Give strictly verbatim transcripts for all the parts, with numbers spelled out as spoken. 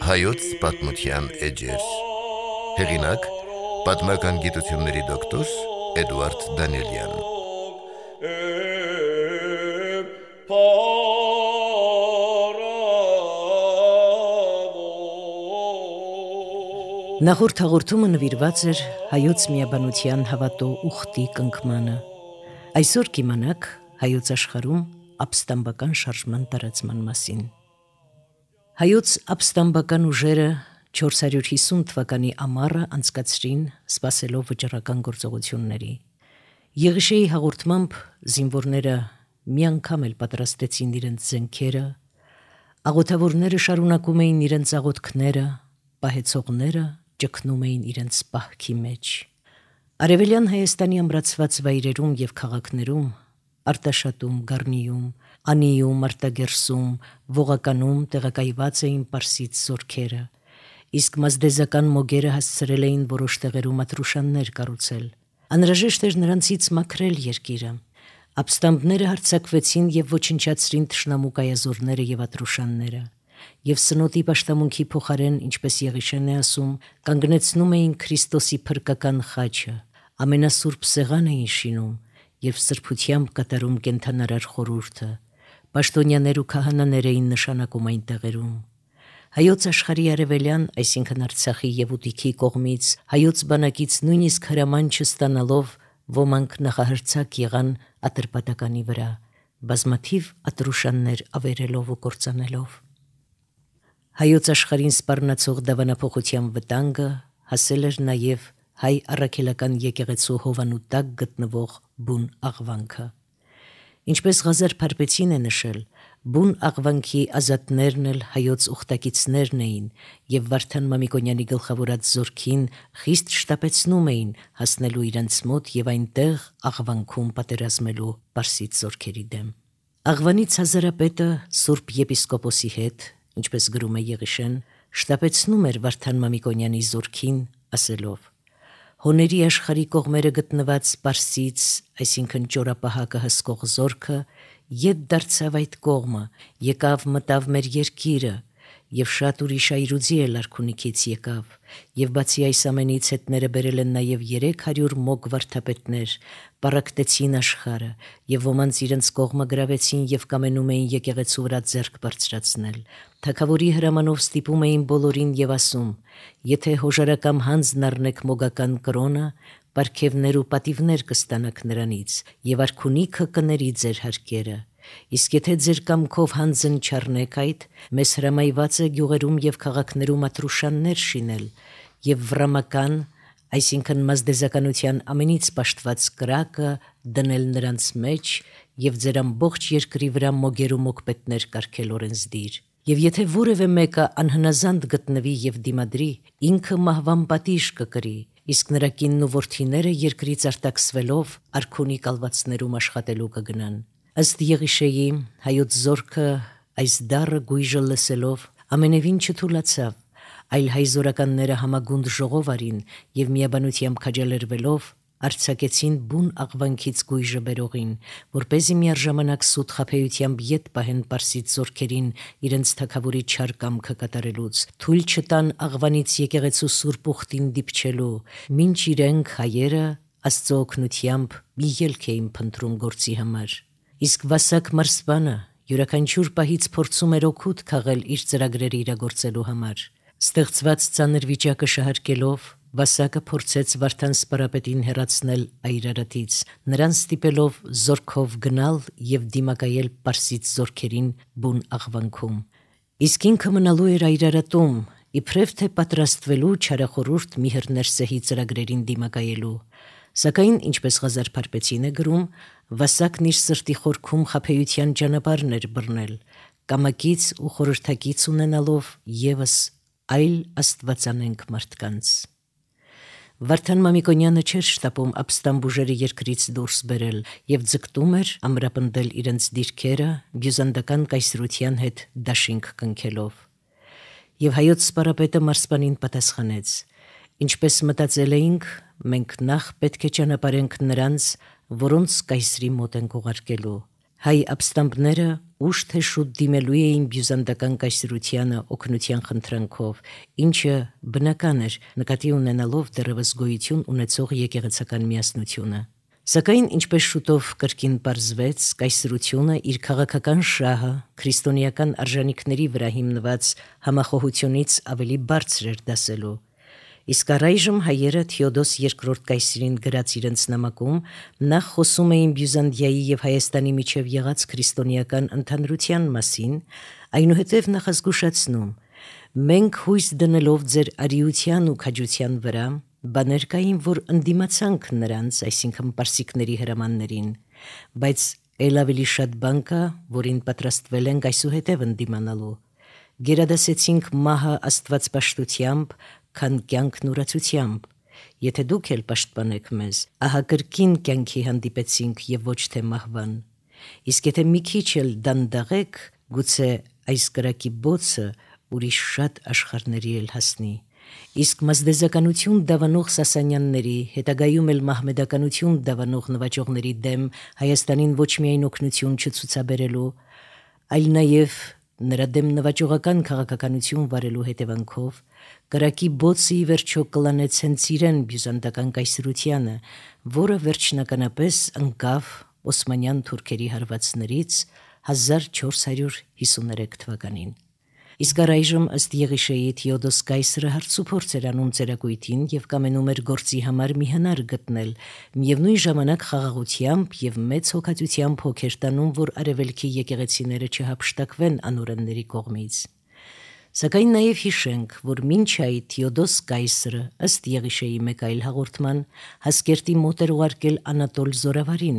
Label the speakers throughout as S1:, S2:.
S1: Հայոց պատմության էջեր։ Հեղինակ՝ պատմական գիտությունների դոկտոր Էդուարդ Դանիելյան։
S2: Նախորդ հաղորդումը նվիրված էր հայոց միաբանության հավատո ուխտի կնքմանը։ Այսօր կիմանաք հայոց աշխարհում ապստամբական շարժման տարածման մասին։ Հայոց ապստամբական ուժերը չորս հարյուր հիսուն թվականի ամառը անցկացրին սպասելով վճռական գործողությունների։ Եղիշեի հաղորդմամբ զինվորները մի անգամ էլ պատրաստեցին իրենց զենքերը, աղոթավորները շարունակում էին իրենց աղոթքները, պահեցողները ճգնում էին իրենց պահքի մեջ։ Արևելյան Հայաստանի ամրացված վայրերում և քաղաքներում, Արտաշատում, Գառնիում, Անիում, Արտագերսում, Ողականում տեղակայված էին պարսից զորքերը, իսկ մազդեզական մոգերը հասցրել էին որոշ տեղերում ատրուշաններ կառուցել։ Անհրաժեշտ էր նրանցից մաքրել երկիրը։ Ապստամբները հարձակվեցին և ոչնչացրին թշնամու կայազորները և ատրուշանները, և սնոտի պաշտամունքի փոխարեն, ինչպես Եղիշեն է ասում, կանգնեցնում էին Քրիստոսի փրկական խաչը, ամենասուրբ սեղան էին շինում և սրբությամբ կատարում կենդանարար խորհուրդը, պաշտոնյաներ ու քահանաներ էին նշանակում այն տեղերում։ Հայոց աշխարհի արևելյան, այսինքն Արցախի և Ուտիքի կողմից հայոց բանակից նույնիսկ հրաման չստանալով ոմանք նախահրցակ եղան Ատրպատականի վրա, բազմաթիվ ատրուշաններ ավերելով ու կործանելով։ Հայոց աշխարհին սպառնացող դավանափոխության վտանգը հասել էր նաև հայ առաքելական եկեղեցու հովանու տակ գտնվող բուն աղվանքը։ Ինչպես Ղազար Փարպեցին է նշել, բուն աղվանքի ազատներն էլ հայոց ուխտակիցներն էին և Վարդան Մամիկոնյանի գլխավորած զորքին խիստ շտապեցնում էին հասնելու իրենց մոտ և այնտեղ աղվանքում պատերազմելու պարսից զորքերի դեմ։ Աղվանից Հազարապետը Սուրբ եպիսկոպոսի հետ, ինչպես գրում է Եղիշեն, շտապեցնում էր Վարդան Մամիկոնյանի զորքին, ասելով. «Հոների աշխարհի կողմերը գտնված պարսից, այսինքն ճորապահակը հսկող զորքը, ետ դարձավ այդ կողմը, եկավ մտավ մեր երկիրը, և շատ ուրիշ այրուձի էլ արքունիքից եկավ, և բացի այս ամենից հետները բերել են նաև երեք հարյուր մոգ վարդապետներ, պառակտեցին աշխարհը, և ոմանց իրենց կողմը գրավեցին և կամենում էին եկեղեցու վրա ձեռք բարձրացնել։ Թագավորի հրամանով ստիպում էին բոլորին և ասում. եթե հոժարակամ հանձն առնեք մոգական կրոնը, պարգևներ ու պատիվներ կստանաք նրանից, և արքունիքը կների ձեր հարկերը։ Իսկ եթե ձեր կամքով հանձն չառնեք այդ, մեզ հրամայված է գյուղերում և քաղաքներում ատրուշաններ շինել և վռամական, այսինքն մազդեզականության ամենից պաշտված կրակը դնել նրանց մեջ և ձեր ամբողջ երկրի վրա մոգեր ու մոգպետներ կարգել օրենսդիր։ Եվ եթե որևէ մեկը անհնազանդ գտնվի և դիմադրի, ինքը մահվան պատիժ կկրի, իսկ նրա կինն ու որդիները երկրից արտաքսվելով արքունի կալվածներում աշխատելու կգնան»։ Ըստ Եղիշեի, հայոց զորքը այս դառը գույժը լսելով ամենևին չթուլացավ, այլ հայ զորականները համագունդ ժողով արին և միաբանությամբ քաջալերվելով արձակեցին բուն աղվանքից գույժը բերողին, որպեսզի միառժամանակ սուտ խաբեությամբ ետ պահեն պարսից զորքերին իրենց թագավորի չար կամքը կատարելուց, թույլ չտան աղվանից եկեղեցու սուրբ ուխտին դիպչելու, մինչ իրենք հայերը Աստծո օգնությամբ մի ելք էին փնտրում գործի համար։ Իսկ Վասակ մարզպանը յուրաքանչյուր պահից փորձում էր օգուտ քաղել իր ծրագրերը իրագործելու համար։ Ստեղծված ծանր վիճակը շահարկելով, Վասակը փորձեց Վարդան սպարապետին հեռացնել Այր Արարատից, նրան ստիպելով զորքով գնալ և դիմակայել պարսից զորքերին բուն աղվանքում։ Իսկ ինքը մնալու էր Այր Արարատում, իբրև թե պատրաստվելու չարախորհուրդ Միհր Ներսեի ծրագրերին դիմակայելու։ Սակայն, ինչպես Ղազար Փարպեցին է գրում, Վասակն իր սրտի խորքում խաբեության ճանապարհն էր բռնել, կամակից ու խորհրդակից ունենալով ևս այլ աստվածանենգ մարդկանց։ Վարդան Մամիկոնյանը չէր շտապում ապստամբ ուժերը երկրից դուրս բերել և ձգտում էր ամրապնդել իրենց դիրքերը բյուզանդական կայսրության հետ դաշինք կնքելով։ Եվ հայոց սպարապետը մարզպանին պատասխանեց. «Ինչպես մտածել էինք, մենք նախ պետք է ճանապարհենք նրանց, որոնց կայսրի մոտ ենք ուղարկելու»։ Հայ ապստամբները ուշ թե շուտ դիմելու էին բյուզանդական կայսրությանը օգնության խնդրանքով, ինչը բնական էր նկատի ունենալով դեռևս գոյություն ունեցող եկեղեցական միասնությունը։ Սակայն ինչպես շուտով կրկին պարզվեց, կայսրությունը իր քաղաքական շահը քրիստոնեական արժանիքների վրա հիմնված համախոհությունից ավելի բարձր էր դասելու։ Իսկ առայժմ հայերը Թեոդոս երկրորդ կայսրին գրած իրենց նամակում նախ խոսում էին Բյուզանդիայի եւ Հայաստանի միջև եղած քրիստոնեական ընդհանրության մասին, այնուհետև նախազգուշացնում. «Մենք հույս դնելով ձեր արիության ու քաջության վրա, բաներ կային, որ ընդդիմացանք նրանց, այսինքն պարսիկների հրամաններին, բայց ել ավելի շատ բան կա, որին պատրաստվել ենք այսուհետև ընդդիմանալու։ Գերադասեցինք մահը աստվածպաշտությամբ, քան կյանքն ուրացությամբ։ Եթե դուք էլ պաշտպանեք մեզ, ահա կրկին կյանքի հանդիպեցինք եւ ոչ թե մահվան։ Իսկ եթե մի քիչ էլ դանդաղեք, գուցե այս կրակի բոցը ուրիշ շատ աշխարհների էլ հասնի։ Իսկ մազդեզականություն դավանող Սասանյանների, հետագայում էլ մահմեդականություն դավանող նվաճողների դեմ Հայաստանին ոչ միայն օգնություն չցուցաբերելու, այլ նաեւ նրա դեմ նվաճողական քաղաքականություն վարելու հետևանքով կրակի բոցը ի վերջո կլանեց հենց իրեն բյուզանդական կայսրությանը, որը վերջնականապես ընկավ օսմանյան թուրքերի հարվածներից հազար չորս հարյուր հիսուներեք թվականին։ Իսկ առայժմ ըստ Եղիշեի Թեոդոս կայսրը հարցուփորձ էր անում ծերակույտին եւ կամենում էր գործի համար մի հնար գտնել, միևնույն ժամանակ խաղաղությամբ եւ մեծ հոգատությամբ հոգեր տանում, որ արևելքի եկեղեցիները չհափշտակվեն անօրենների կողմից։ Սակայն նաև հիշենք, որ մինչ այդ Թեոդոս կայսրը ըստ Եղիշեի մեկ այլ հաղորդման Հասկերտի մոտ էր ուղարկել Անատոլ Զորավարին,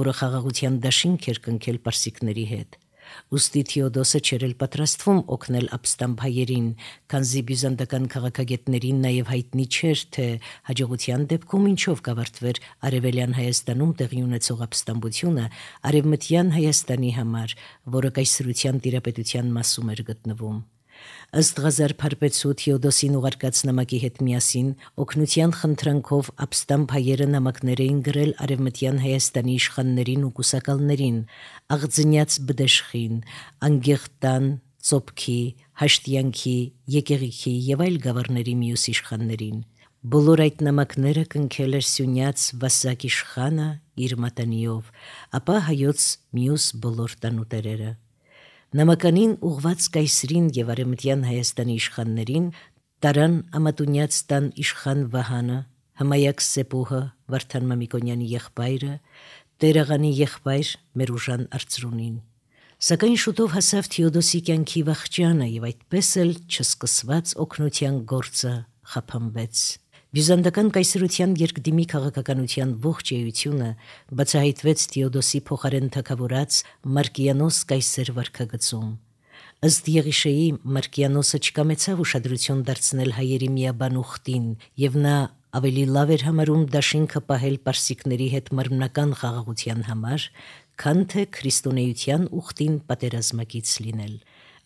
S2: որը խաղաղության դաշինք էր կնքել պարսիկների հետ։ Ուստի Թեոդոսը չէր էլ պատրաստվում օգնել ապստամբ հայերին, քանզի բյուզանդական քաղաքագետներին նաև հայտնի չէր, թե հաջողության դեպքում ինչով կավարտվեր արևելյան Հայաստանում տեղի ունեցող ապստամբությունը արևմտյան Հայաստանի համար, որը կայսրության տիրապետության մասում էր գտնվում։ Ըստ Ղազար Փարպեցու Թեոդոսին ուղարկած նամակի հետ միասին օգնության խնդրանքով ապստամբ հայերը նամակներ էին գրել արևմտյան Հայաստանի իշխաններին ու կուսակալներին, Աղձնյաց Բդեշխին, Անգեղտան, Ծոպքի, Հաշտյանքի, Եկեղիքի եւ այլ գավառների մյուս իշխաններին։ Բոլոր այդ նամակները կնքել էր Սյունյաց Վասակ իշխանը իր մատանիով, ապա հայոց մյուս բոլոր տանուտերերը։ Նամականին ուղված կայսրին եւ արևմտյան Հայաստանի իշխաններին տարան Ամատունյաց տան իշխան Վահանը, Հմայակ Սեպուհը, Վարդան Մամիկոնյանի եղբայրը, Տերաղանի եղբայր Մերուժան Արծրունին։ Սակայն շուտով հասավ Թեոդոսի կյանքի վախճանը եւ այդպես էլ չսկսված օգնության գործը խափանվեց։ Բյուզանդական կայսրության երկդիմի քաղաքականության ողջ էությունը բացահայտվեց Թեոդոսի փոխարեն թագավորած Մարկիանոս կայսր վարքագծում։ Ըստ Եղիշեի Մարկիանոսը չկամեցավ ուշադրություն դարձնել հայերի միաբան ուխտին, եւ նա ավելի լավ էր համարում դաշինքը պահել պարսիկների հետ մարմնական խաղաղության համար, քան թե քրիստոնեության ուխտին պատերազմակից լինել։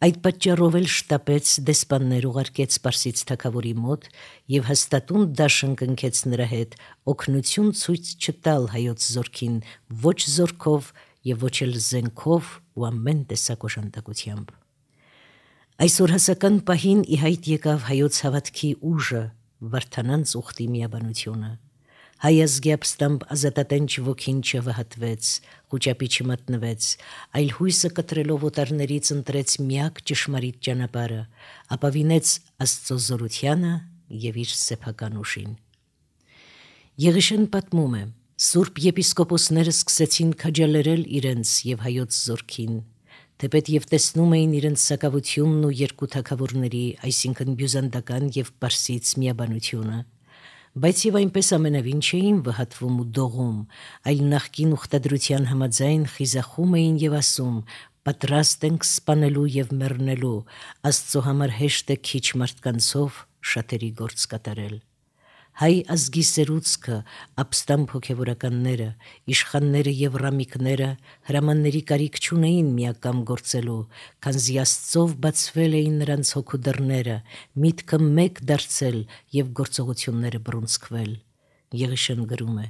S2: Այդ պատճառով էլ շտապեց դեսպաններ ուղարկեց Պարսից թագավորի մոտ եւ հաստատուն դաշն կնքեց նրա հետ օգնություն ցույց չտալ հայոց զորքին ոչ զորքով եւ ոչ էլ զենքով ու ամեն տեսակ օժանդակությամբ։ Այսօր հասական պահին ի հայտ եկավ հայոց հավատքի ուժը, Վարդանանց ուխտի միաբանությունը։ Հայ ազգի ապստամբ ազատատենչ ոգին չվհատվեց, խուճապի չմատնվեց, այլ հույսը կտրելով օտարներից ընտրեց միակ ճշմարիտ ճանապարհը, ապավինեց Աստծո զորությանը եւ իր սեփական ուժին։ Եղիշեն պատմում է. Սուրբ եպիսկոպոսները սկսեցին քաջալերել իրենց եւ հայոց զորքին, թեպետ եւ տեսնում էին իրենց սակավությունն ու երկու թագավորների, այսինքն բյուզանդական եւ պարսից միաբանությունը։ Բայց եւ այնպես ամենավին չէին վհատվում ու դողում, այլ նախկին ուխտադրության համաձայն խիզախում էին եւ ասում. պատրաստ ենք սպանելու եւ մեռնելու, Աստծո համար հեշտ է քիչ մարդկանցով շատերի գործ կատարել։ Հայ ազգի սերուցքը, ապստամբ հոգևորականները, իշխանները եւ ռամիկները հրամանների կարիք չունեին միակամ գործելու, քանզի Աստծով բացվել էին նրանց հոգու դռները, միտքը մեկ դարձել եւ գործողությունները բռունցքվել։ Եղիշեն գրում է.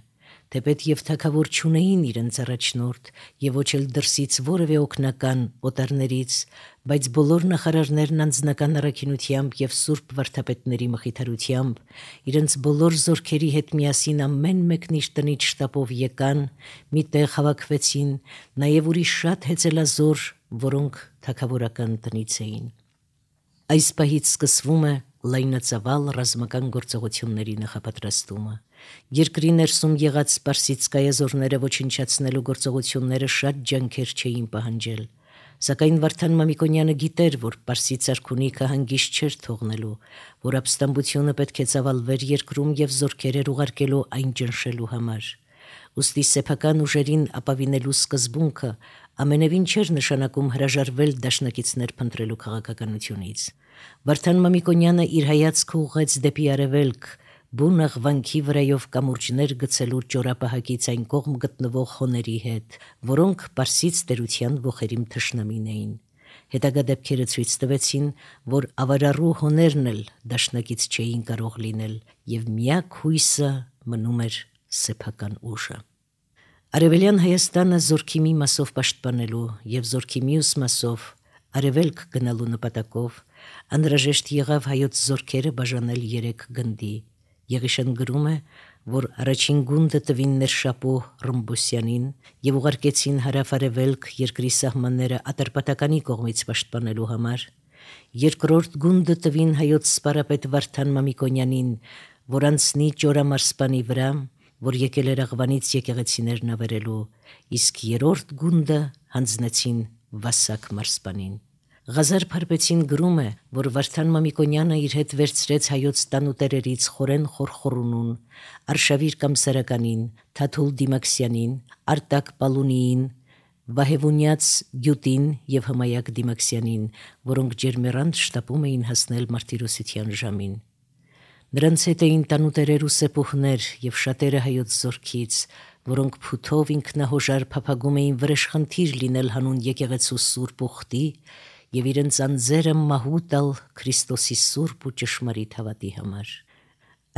S2: թեպետ եւ թագավոր չունեին իրենց առաջնորդ եւ ոչ էլ դրսից որևէ օգնական օտարներից, բայց բոլոր նախարարներն անձնական առաքինությամբ եւ սուրբ վարդապետների մխիթարությամբ իրենց բոլոր զորքերի հետ միասին ամեն մեկն իր տնից շտապով եկան, մի տեղ հավաքվեցին, նաեւ ուրիշ շատ հեծելազոր, որոնք թագավորական տնից էին։ Այս պահից սկսվում է լայնածավալ ռազմական գործողությունների նախապատրաստումը։ Երկրի ներսում եղած սպարսից կայազորները ոչնչացնելու գործողությունները շատ ջանքեր չէին պահանջել, սակայն Վարդան Մամիկոնյանը գիտեր, որ Պարսից արքունիքը հանգիստ չէր թողնելու, որ ապստամբությունը պետք է ծավալվեր երկրում եւ զորքեր էր ուղարկելու այն ճնշելու համար։ Ուստի սեփական ուժերին ապավինելու սկզբունքը ամենևին չէր նշանակում հրաժարվել դաշնակիցներ փնտրելու քաղաքականությունից։ Վարդան Մամիկոնյանը իր հայացքը ուղղեց դեպի արևելք, բուն աղվանքի վրայով կամուրջներ գցելու ճորապահակից այն կողմ գտնվող խոների հետ, որոնք Պարսից տերության ոխերիմ թշնամին էին։ Հետագա դեպքերը ցույց տվեցին, որ ավարառու հոներն էլ դաշնակից չէին կարող լինել, եւ միակ հույսը մնում էր սեփական ուժը։ Արևելյան Հայաստանը զորքի մի մասով պաշտպանելու եւ զորքի մյուս մասով արևելք գնալու նպատակով անհրաժեշտ եղավ հայոց զորքերը բաժանել երեք գնդի։ Եղիշեն գրում է, որ առաջին գունդը տվին Ներշապու Ռմբոսյանին եւ ուղարկեցին հարավ-արևելք երկրի սահմանները Ատրպատականի կողմից պաշտպանելու համար։ Երկրորդ գունդը տվին հայոց սպարապետ Վարդան Մամիկոնյանին, որ անցնի Ճորամարսպանի վրա, որ եկել էր Աղվանից եկեղեցիներն ավերելու, իսկ երրորդ գունդը հանձնեցին Վասակ Մարսպանին։ Ղազար Փարպեցին գրում է, որ Վարդան Մամիկոնյանը իր հետ վերցրեց հայոց տանուտերերից Խորեն Խորխորունուն, Արշավիր Կամսարականին, Թաթուլ Դիմաքսյանին, Արտակ Պալունիին, Վահևունյաց Գյուտին եւ Հմայակ Դիմաքսյանին, որոնք ջերմերանդ շտապում էին հասնել մարտիրոսության ժամին։ Նրանց հետ էին տանուտերեր ու սեպուհներ եւ շատերը հայոց զորքից, որոնք փութով ինքնահոժար փափագում էին վրեժխնդիր լինել հանուն եկեղեցու սուրբ ուխտի եւ իրենց անձերը մահու տալ Քրիստոսի սուրբ ու ճշմարիտ հավատի համար։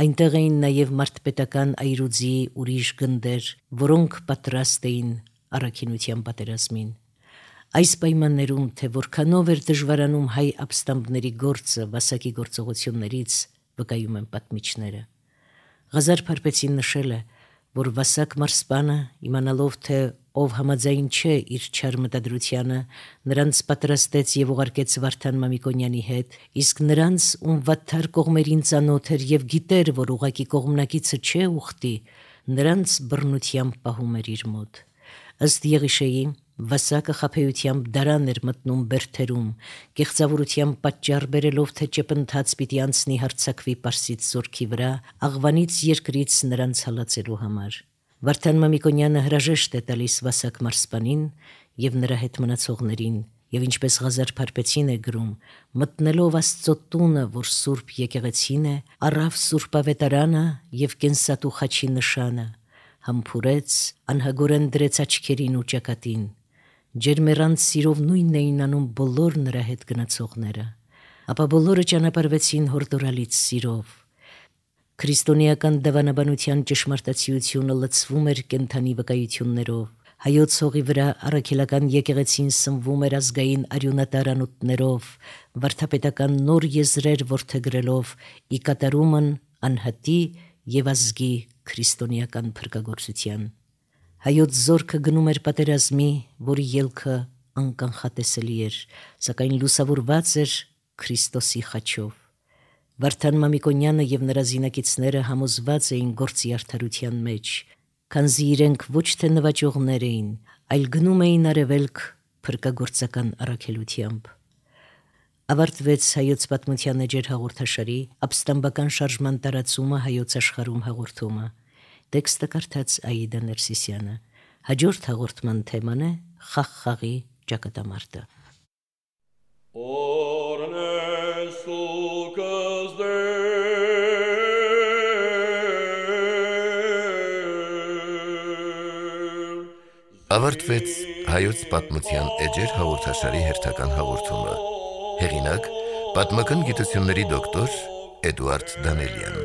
S2: Այնտեղ էին նաեւ մարտպետական այրուձի ուրիշ գնդեր, որոնք պատրաստ էին առաքինության պատերազմին։ Այս պայմաններում, թե որքանով էր դժվարանում հայ ապստամբների գործը Վասակի գործողություններից, վկայում են պատմիչները։ Ղազար Փարպեցին նշել է, որ Վասակ Մարսպանը, իմանալով, թե ով համաձայն չէ իր չար մտադրությանը, նրանց պատրաստեց եւ ուղարկեց Վարդան Մամիկոնյանի հետ, իսկ նրանց, ում վատթար կողմերին ծանոթ էր եւ գիտեր, որ ուղակի կողմնակիցը չէ ուխտի, նրանց բռնությամբ պահում էր իր մոտ։ Ըստ Եղիշեի, Վասակը խաբեությամբ դարան էր մտնում Բերթերում, կեղծավորությամբ պատճառ բերելով, թե ճեպընթաց պիտի անցնի հարձակվի Պարսից զորքի վրա, Աղվանից երկրից նրանց հալածելու համար։ Վարդան Մամիկոնյանը հրաժեշտ է տալիս Վասակ Մարսպանին եւ նրա հետ մնացողներին, եւ ինչպես Ղազար Փարպեցին է գրում, մտնելով Աստծո տունը, որ սուրբ եկեղեցին է, առավ սուրբավետարանը եւ կենսատու խաչի նշանը, համբուրեց, անհագորեն դրեց աչքերին ու ճակատին։ Ջերմերանց սիրով նույնն էին անում բոլոր նրա հետ գնացողները, ապա բոլորը ճանապարհվեցին հորդորալից սիրով։ Քրիստոնեական դավանաբանության ճշմարտացիությունը լցվում էր կենթանի վկայություններով, հայոց հողի վրա առաքելական եկեղեցին սնվում էր ազգային արյունատարանութներով, վարդապետական նոր եզրեր որդեգրելով, ի կատարումն անհատի եւ ազգի քրիստոնեական փրկagorցության։ Հայոց զորքը գնում էր պատերազմի, որի ելքը անկանխատեսելի էր, սակայն լուսավորված էր Քրիստոսի խաչով։ Վարդան Մամիկոնյանը եւ նրա զինակիցները համոզված էին գործի արդարության մեջ, քանզի իրենք ոչ թե նվաճողներ էին, այլ գնում էին արևելք փրկagorցական առաքելությամբ։ Ավարտվեց հայոց պատմության էջեր հաղորդաշարի ապստամբական շարժման տարածումը հայոց աշխարհում հաղորդումը։ Տեքստը կարդաց Աիդա Ներսիսյանը։ Հաջորդ հաղորդման թեման է Խաղ-խաղի ճակատամարտը։
S1: Ավարտվեց հայոց պատմության էջեր հաղորդաշարի հերթական հաղորդումը։ Հեղինակ՝ պատմական գիտությունների դոկտոր Էդուարդ Դանելյան։